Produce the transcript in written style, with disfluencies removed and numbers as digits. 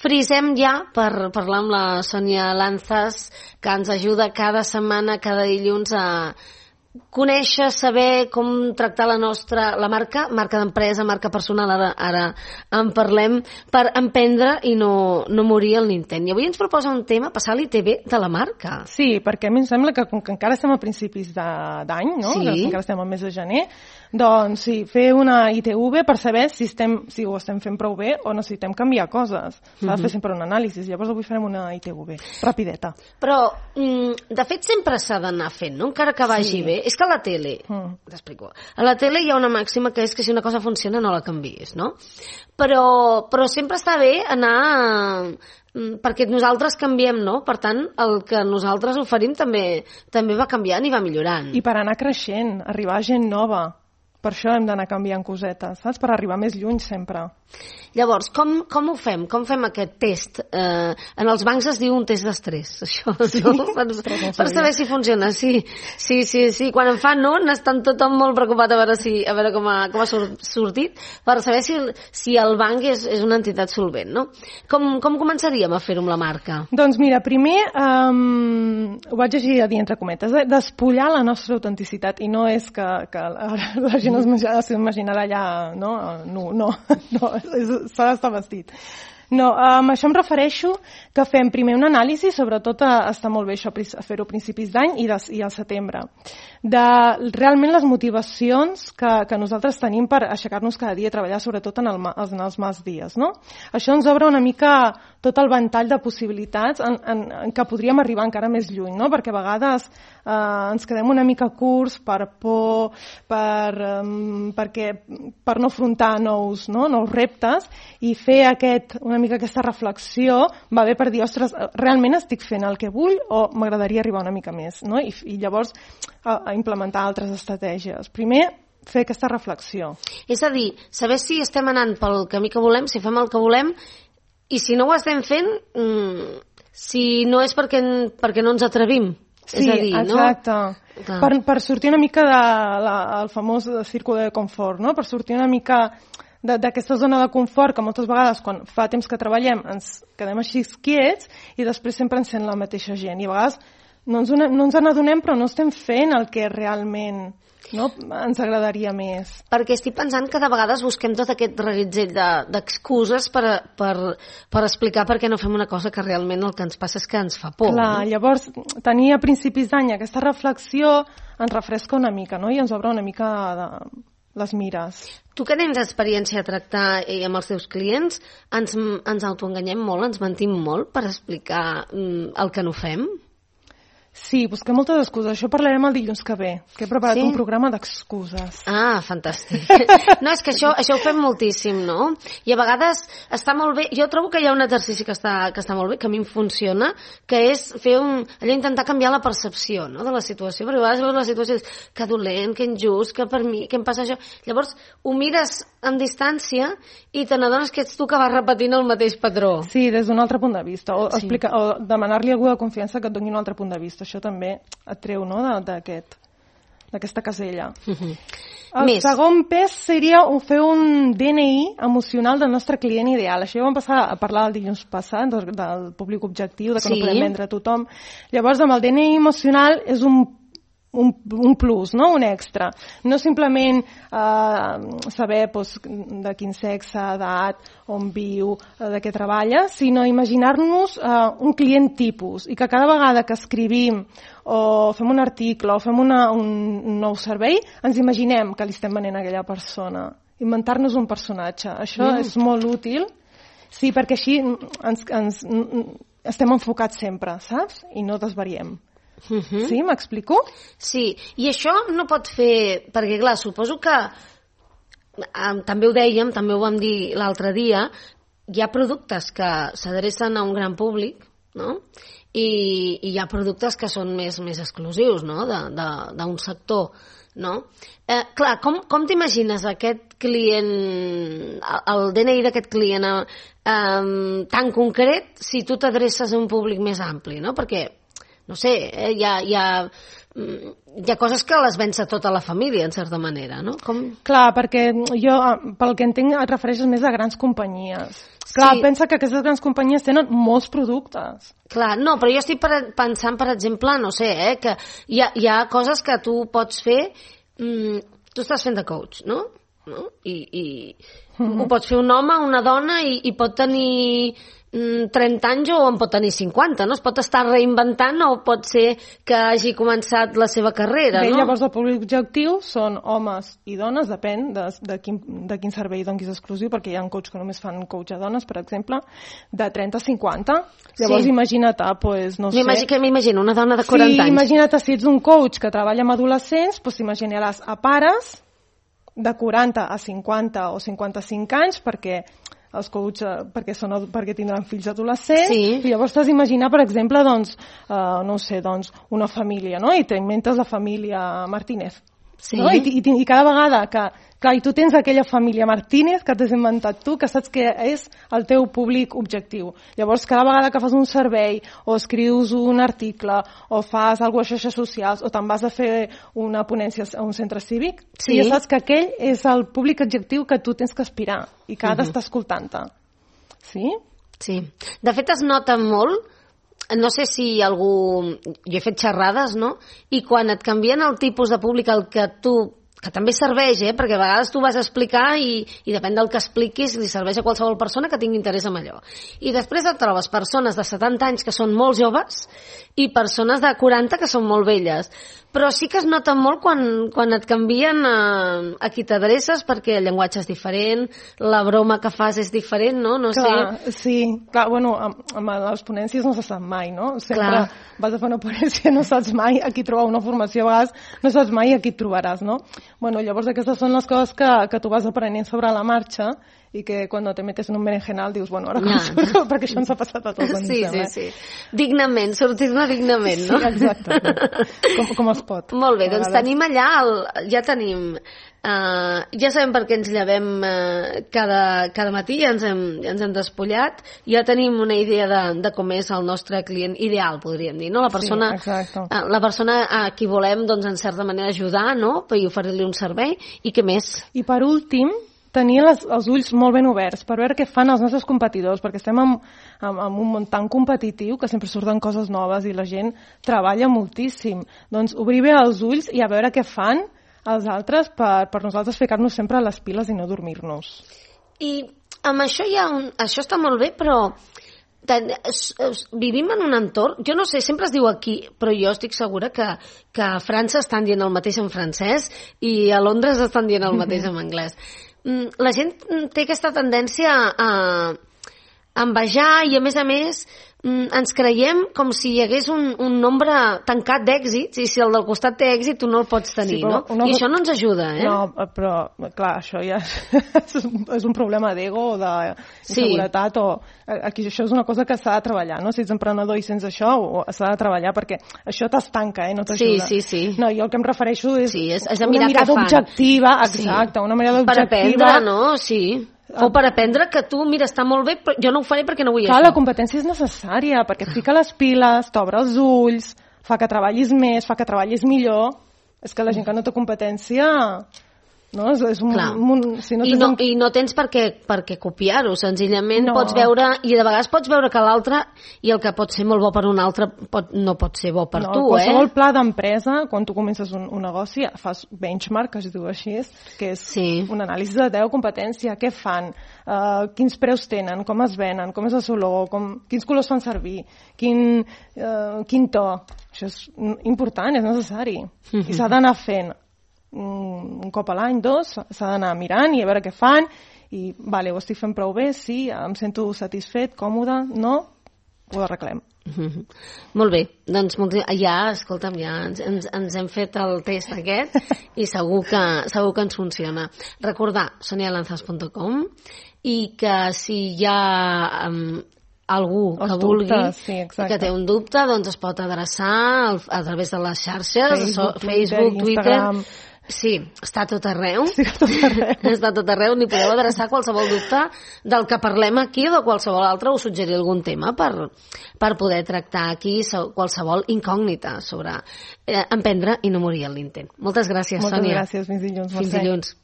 frisem ja per parlar amb la Sònia Lanzas, que ens ajuda cada setmana, cada dilluns a conèixer, saber com tractar la marca d'empresa, marca personal, ara en parlem, per emprendre i no morir al intent. I avui ens proposa un tema, passar l'ITV de la marca. Sí, perquè a mi em sembla que com que encara estem a principis d'any, no? Sí. Encara estem al mes de gener, doncs sí, fer una ITV per saber si ho estem fent prou bé o necessitem canviar coses. S'ha de fer sempre un anàlisi. Llavors avui farem una ITV, rapideta. Però, de fet, sempre s'ha d'anar fent, no? Encara que vagi bé. És que a la tele, t'explico, a la tele hi ha una màxima que és que si una cosa funciona no la canviïs, no? Però sempre està bé anar perquè nosaltres canviem, no? Per tant, el que nosaltres oferim també va canviant i va millorant. I per anar creixent, arribar a gent nova. Per això hem d'anar canviant cosetes, saps? Per arribar més lluny sempre. Llavors, com ho fem? Com fem aquest test? En els bancs es diu un test d'estrès, això, sí? No? Per saber si funciona, sí. Quan en fan un, estan tothom molt preocupat a veure com ha sortit, per saber si el banc és una entitat solvent, no? Com començaríem a fer-ho amb la marca? Doncs mira, primer, ho vaig llegir a dir entre cometes, despullar la nostra autenticitat, i no és que la gent s'imaginarà allà, no, s'ha d'estar vestit. No, amb això em refereixo que fem primer una anàlisi, sobretot està molt bé això, fer-ho a principis d'any i al setembre, de realment les motivacions que nosaltres tenim per aixecar-nos cada dia i treballar, sobretot en els mals dies, no? Això ens obre una mica tot el ventall de possibilitats en què podríem arribar encara més lluny, no? Perquè a vegades ens quedem una mica curts per por, per no afrontar nous reptes, i fer una mica aquesta reflexió va bé per dir, ostres, realment estic fent el que vull o m'agradaria arribar una mica més, no? I llavors a implementar altres estratègies. Primer, fer aquesta reflexió. És a dir, saber si estem anant pel camí que volem, si fem el que volem, i si no ho estem fent, si no és perquè no ens atrevim. Sí, és a dir, exacte. No? Per sortir una mica del famós círculo de confort, no? Per sortir una mica d'aquesta zona de confort que moltes vegades quan fa temps que treballem ens quedem així quiets i després sempre ens sent la mateixa gent i a vegades no ens n'adonem però no estem fent el que realment ens agradaria més. Perquè estic pensant que de vegades busquem tot aquest reguitzell d'excuses per explicar per què no fem una cosa que realment el que ens passa és que ens fa por. Clar, no? Llavors tenir a principis d'any aquesta reflexió ens refresca una mica, no? I ens obre una mica les mires. Tu que tens experiència a tractar amb els teus clients, ens autoenganyem molt, ens mentim molt per explicar el que no fem? Sí, busquem moltes excuses. Això parlarem el dilluns que ve, que he preparat un programa d'excuses. Ah, fantàstic. No, és que això ho fem moltíssim, no? I a vegades està molt bé. Jo trobo que hi ha un exercici que està molt bé, que a mi em funciona, que és fer allò intentar canviar la percepció, no?, de la situació. Perquè a vegades veus la situació i dius, que dolent, que injust, que per mi, que em passa això. Llavors ho mires amb distància i te n'adones que ets tu que vas repetint el mateix patró. Sí, des d'un altre punt de vista. O demanar-li a algú de confiança que et doni un altre punt de vista. Això també et treu, no?, d'aquesta casella. El segon pes seria fer un DNI emocional del nostre client ideal. Això ja vam passar a parlar el dilluns passat, del públic objectiu, de que no podem vendre a tothom. Llavors, amb el DNI emocional és un plus, no?, un extra. No simplement saber de quin sexe, edat, on viu, de què treballa, sinó imaginar-nos un client tipus i que cada vegada que escrivim o fem un article o fem un nou servei, ens imaginem que li estem venent a aquella persona. Inventar-nos un personatge. Això és molt útil, sí, perquè així ens estem enfocats sempre, saps? I no desvariem. Sí, m'explico? Sí, i això no pot fer, perquè clar, suposo que també ho dèiem, també ho vam dir l'altre dia, hi ha productes que s'adrecen a un gran públic, no?, i hi ha productes que són més exclusius, no?, d'un sector, no? Clar, com t'imagines aquest client, el DNI d'aquest client tan concret si tu t'adreces a un públic més ampli, no? Perquè no sé, hi ha hi ha coses que les vença tota la família, en certa manera, no? Clar, perquè jo, pel que entenc, et refereixes més a grans companyies. Clar, pensa que aquestes grans companyies tenen molts productes. Clar, no, però jo estic pensant, per exemple, no sé, que hi ha coses que tu pots fer... tu estàs fent de coach, no? I ho pot fer un home, una dona, i pot tenir 30 anys o en pot tenir 50, no? Es pot estar reinventant o pot ser que hagi començat la seva carrera, no? Llavors el públic objectiu són homes i dones, depèn de quin servei donis exclusiu, perquè hi ha coach que només fan coach a dones, per exemple, de 30 a 50. Llavors imagina't, no sé... Que m'imagino, una dona de 40 anys. Sí, imagina't, si ets un coach que treballa amb adolescents, doncs t'imaginaràs a pares de 40 a 50 o 55 anys, perquè els coach, perquè tindran fills adolescents, i llavors t'has d'imaginar, per exemple, no sé, una família, no? I t'inventes la família Martínez. No? I cada vegada que... Clar, i tu tens aquella família Martínez que t'has inventat tu, que saps que és el teu públic objectiu. Llavors, cada vegada que fas un servei, o escrius un article, o fas alguna cosa a xarxes socials, o te'n vas a fer una ponència a un centre cívic, ja saps que aquell és el públic objectiu que tu tens que aspirar i que ha d'estar escoltant-te. Sí? Sí. De fet, es nota molt, no sé si algú... Jo he fet xerrades, no? I quan et canvien el tipus de públic al que tu... que també serveix, perquè a vegades tu vas a explicar i depèn del que expliquis li serveix a qualsevol persona que tingui interès en allò. I després et trobes persones de 70 anys que són molt joves i persones de 40 que són molt velles. Però sí que es nota molt quan et canvien a qui t'adreces, perquè el llenguatge és diferent, la broma que fas és diferent, no? No sé. Sí, clar, bueno, amb les ponències no se sap mai, no? Sempre vas a fer una ponència, no saps mai a qui trobar una formació, a vegades no saps mai a qui et trobaràs, no? Bueno, llavors aquestes són les coses que tu vas aprenent sobre la marxa i que quan te metes en un berenjenal dius, bueno, ara com surto, perquè això ens ha passat a tots. Sí. Dignament, sortir-ne dignament, no? Sí, exacte. Com es pot. Molt bé, doncs tenim allà, ja tenim... ja sabem per què ens llevem cada matí, ja ens hem despullat, ja tenim una idea de com és el nostre client ideal, podríem dir, no? La persona a qui volem, doncs, en certa manera ajudar, no? I oferir-li un servei, i què més? I per últim, tenir els ulls molt ben oberts per veure què fan els nostres competidors, perquè estem en un món tan competitiu que sempre surten coses noves i la gent treballa moltíssim. Doncs obrir bé els ulls i a veure què fan els altres per nosaltres ficar-nos sempre a les piles i no dormir-nos. I amb això això està molt bé, però vivim en un entorn, jo no sé, sempre es diu aquí, però jo estic segura que a França estan dient el mateix en francès i a Londres estan dient el mateix en anglès. La gent té aquesta tendència a envejar i a més ens creiem com si hi hagués un nombre tancat d'èxits i si el del costat té èxit tu no el pots tenir, no? I això no ens ajuda, No, però clar, això ja és un problema d'ego o d'inseguretat aquí això és una cosa que s'ha de treballar, no? Si ets emprenedor i sents això s'ha de treballar perquè això t'estanca, no t'ajuda. Sí. No, jo el que em refereixo és una mirada objectiva, exacte, una mirada objectiva. Per aprendre, no? Sí. O per aprendre que tu, mira, està molt bé, però jo no ho faré perquè no vull això. Clar, la competència és necessària, perquè et fica les piles, t'obre els ulls, fa que treballis més, fa que treballis millor. És que la gent que no té competència... No? És I no tens per què copiar-ho, senzillament pots veure, i de vegades pots veure que l'altre i el que pot ser molt bo per un altre no pot ser bo per tu, qualsevol pla d'empresa, quan tu comences un negoci fas benchmark, que es diu així, que és un anàlisi de 10 competència, què fan, quins preus tenen, com es venen, com és el seu logo, quins colors fan servir, quin to, això és important, és necessari i s'ha d'anar fent un cop a l'any, 2, s'ha d'anar mirant i a veure què fan i ho estic fent prou bé, sí, em sento satisfet, còmode, no, ho arreglem. Molt bé, doncs escolta'm, ja ens hem fet el test aquest i segur que ens funciona. Recordar sonialanzas.com i que si hi ha algú que vulgui que té un dubte, doncs es pot adreçar a través de les xarxes, Facebook, Twitter, Sí, està a tot arreu. Sí, a tot arreu. Està a tot arreu, ni podeu adreçar qualsevol dubte del que parlem aquí o de qualsevol altre, o suggerir algun tema per poder tractar aquí qualsevol incògnita sobre emprendre i no morir en l'intent. Moltes gràcies, Sònia. Moltes gràcies, fins dilluns. Fins dilluns.